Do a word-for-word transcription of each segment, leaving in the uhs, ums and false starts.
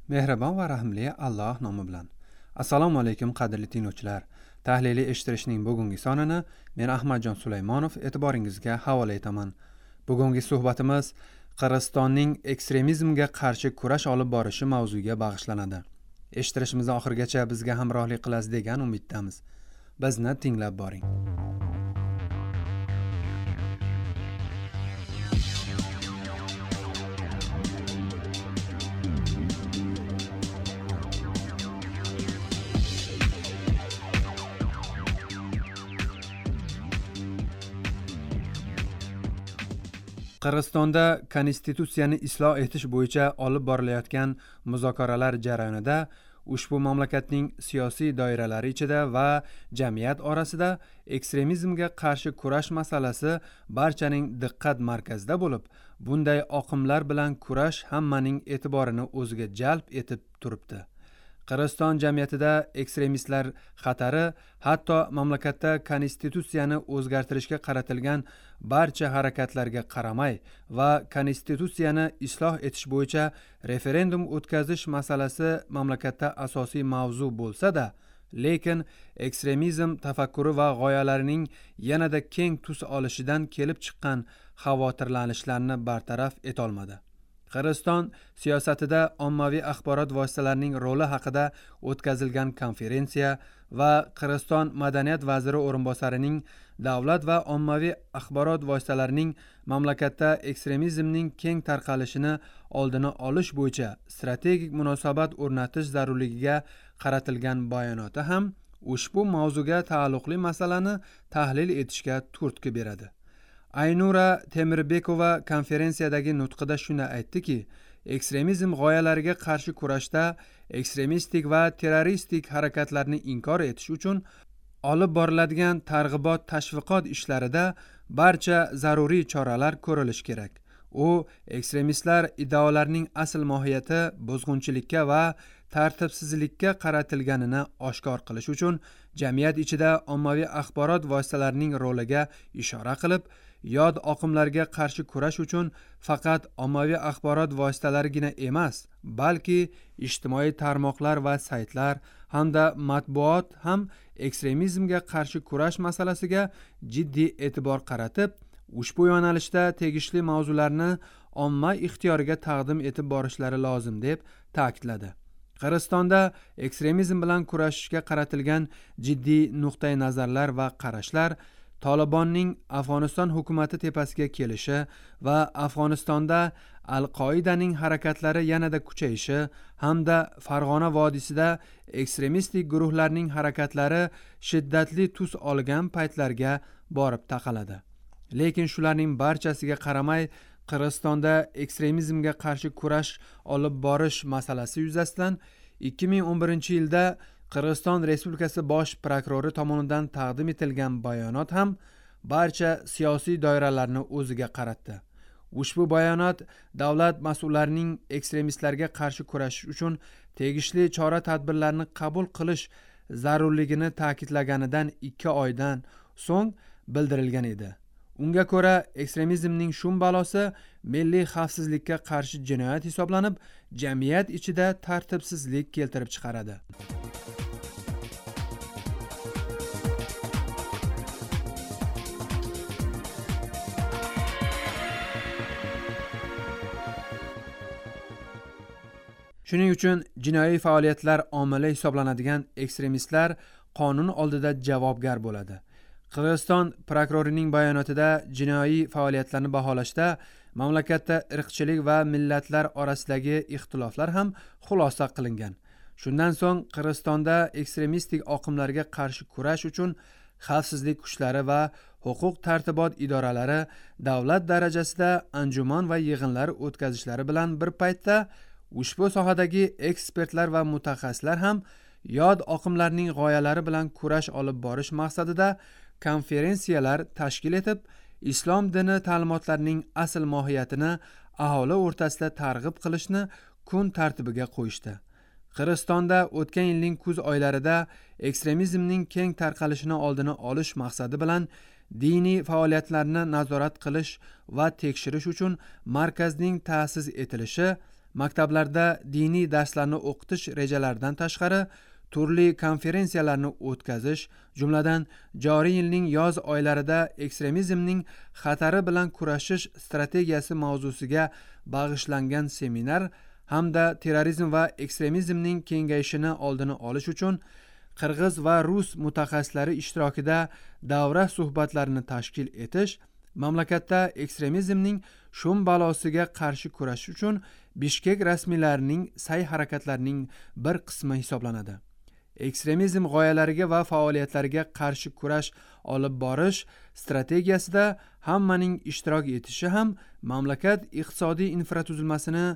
Mehribon va rahimli Alloh nomi bilan. Assalomu alaykum qadrli tinglovchilar. Tahliliy eshittirishning bugungi sonini men Ahmadjon Sulaymonov e'tiboringizga havola etaman. Bugungi suhbatimiz Qirg'izistonning ekstremizmga qarshi kurash olib borishi mavzuiga bag'ishlanadi. Eshittirishimizni oxirigacha bizga hamrohlik qilasiz degan umiddamiz. Bizni tinglab boring. Qirg'izistonda konstitutsiyani isloh etish bo'yicha olib borilayotgan muzokaralar jarayonida ushbu mamlakatning siyosiy doiralari ichida va jamiyat orasida ekstremizmga qarshi kurash masalasi barchaning diqqat markazida bo'lib, bunday oqimlar bilan kurash hammaning e'tiborini o'ziga jalb etib turibdi. Qirg'iziston jamiyatida ekstremistlar xatari hatto mamlakatda konstitutsiyani o'zgartirishga qaratilgan barcha harakatlarga qaramay va konstitutsiyani isloh etish bo'yicha referendum o'tkazish masalasi mamlakatda asosiy mavzu bo'lsa-da, lekin ekstremizm tafakkuri va g'oyalarining yanada keng tus olishidan kelib chiqqan xavotirlanishlarni bartaraf etolmadi. Qirg'iziston siyosatida ommaviy axborot vositalarining roli haqida o'tkazilgan konferensiya va Qirg'iziston madaniyat vaziri o'rinbosarining davlat va ommaviy axborot vositalarining mamlakatda ekstremizmning keng tarqalishini oldini olish bo'yicha strategik munosabat o'rnatish zarurligiga qaratilgan bayonoti ham ushbu mavzuga taalluqli masalani tahlil etishga turtki beradi. Aynura Temirbekova konferensiyadagi nutqida shuni aytdiki, ekstremizm g'oyalariga qarshi kurashda ekstremistik va terroristik harakatlarni inkor etish uchun olib boriladigan targ'ibot tashviqot ishlarida barcha zaruriy choralar ko'rilishi kerak. U ekstremistlar iddaolarining asl mohiyati buzg'unchilikka va tartibsizlikka qaratilganini oshkor qilish uchun jamiyat ichida ommaviy axborot vositalarining roliga ishora qilib, yod oqimlarga qarshi kurash uchun faqat ommaviy axborot vositalarigina emas, balki ijtimoiy tarmoqlar va saytlar hamda matbuot ham ekstremizmga qarshi kurash masalasiga jiddiy e'tibor qaratib, ushbu yo'nalishda tegishli mavzularni omma ixtiyoriga taqdim etib borishlari lozim deb ta'kidladi. Qirg'izistonda ekstremizm bilan kurashishga qaratilgan jiddiy nuqtai nazarlar va qarashlar Tolibonning Afg'oniston hukumati tepasiga kelishi va Afg'onistonda Al-Qoidaning harakatlari yanada kuchayishi hamda Farg'ona vodiysida ekstremistik guruhlarning harakatlari shiddatli tus olgan paytlarga borib taqaladi. Lekin shularning barchasiga qaramay Qirg'izistonda ekstremizmga qarshi kurash olib borish masalasi yuzasidan ikki ming o'n birinchi yilda Qirg'iziston Respublikasi bosh prokurori tomonidan taqdim etilgan bayonot ham barcha siyosiy doiralarni o'ziga qaratdi. Ushbu bayonot davlat mas'ullarining ekstremistlarga qarshi kurashish uchun tegishli chora-tadbirlarni qabul qilish zarurligini ta'kidlaganidan ikki oydan so'ng bildirilgan edi. Unga ko'ra, ekstremizmning shum balosi milliy xavfsizlikka qarshi jinoyat hisoblanib, jamiyat ichida tartibsizlik keltirib chiqaradi. Shuning uchun jinoiy faoliyatlar omili hisoblanadigan ekstremistlar qonun oldida javobgar bo'ladi. Qirg'iziston prokurorining bayonotida jinoiy faoliyatlarni baholashda mamlakatda irqchilik va millatlar orasidagi ixtiloflar ham xulosa qilingan. Shundan so'ng Qirg'izistonda ekstremistik oqimlarga qarshi kurash uchun xavfsizlik kuchlari va huquq tartibot idoralari davlat darajasida anjuman va yig'inlar o'tkazishlari bilan bir paytda ushbu sohadagi ekspertlar va mutaxassislar ham yod oqimlarning g'oyalari bilan kurash olib borish maqsadida konferensiyalar tashkil etib, islom dini ta'limotlarining asl mohiyatini aholi o'rtasida targ'ib qilishni kun tartibiga qo'yishdi. Qirg'izistonda o'tgan yilning kuz oylarida ekstremizmning keng tarqalishini oldini olish maqsadi bilan diniy faoliyatlarni nazorat qilish va tekshirish uchun markazning ta'sis etilishi maktablarda diniy darslarni o'qitish rejalaridan tashqari turli konferensiyalarni o'tkazish, jumladan joriy yilning yoz oylarida ekstremizmning xatari bilan kurashish strategiyasi mavzusiga bag'ishlangan seminar hamda terrorizm va ekstremizmning kengayishini oldini olish uchun qirg'iz va rus mutaxassislari ishtirokida davra suhbatlarini tashkil etish mamlakatda ekstremizmning shum balosiga qarshi kurashish uchun Bishkek rasmiylarining sa'y harakatlarining bir qismi hisoblanadi. Ekstremizm g'oyalariga va faoliyatlariga qarshi kurash olib borish strategiyasida hammaning ishtirok etishi ham mamlakat iqtisodiy infratuzilmasini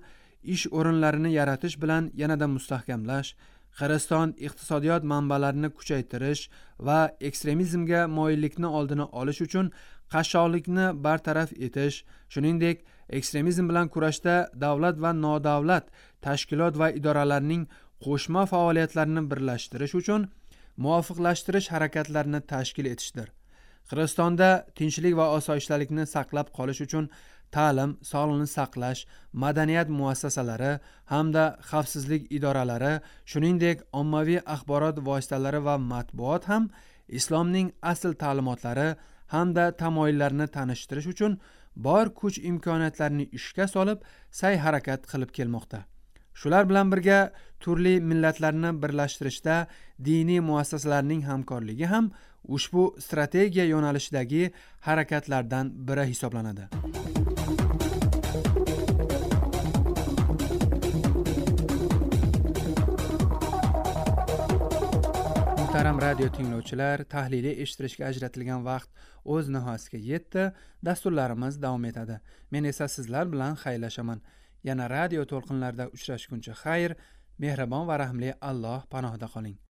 ish o'rinlarini yaratish bilan yanada mustahkamlash, Qirg'iziston iqtisodiyot manbalarini kuchaytirish va ekstremizmga moyillikni oldini olish uchun qashshoqlikni bartaraf etish, shuningdek, ekstremizm bilan kurashda davlat va nodavlat tashkilot va idoralarning qo'shma faoliyatlarini birlashtirish uchun muvofiqlashtirish harakatlarini tashkil etishdir. Qirg'izistonda tinchlik va osoyishtalikni saqlab qolish uchun ta'lim, sog'liqni saqlash, madaniyat muassasalari hamda xavfsizlik idoralari, shuningdek, ommaviy axborot vositalari va matbuot ham islomning asl ta'limotlari hamda tamoyillarini tanishtirish uchun bor kuch imkoniyatlarini ishga solib, sa'y harakat qilib kelmoqda. Shular bilan birga turli millatlarni birlashtirishda diniy muassasalarning hamkorligi ham ushbu strategiya yo'nalishidagi harakatlardan biri hisoblanadi. Muhtaram radio tinglovchilar, tahliliy eshittirishga ajratilgan vaqt o'z nihoyasiga yetdi. Dasturlarimiz davom etadi. Men esa sizlar bilan xayrlashaman. Yana radio to'lqinlarida uchrashguncha xayr, mehribon va rahimli Alloh panohida qoling.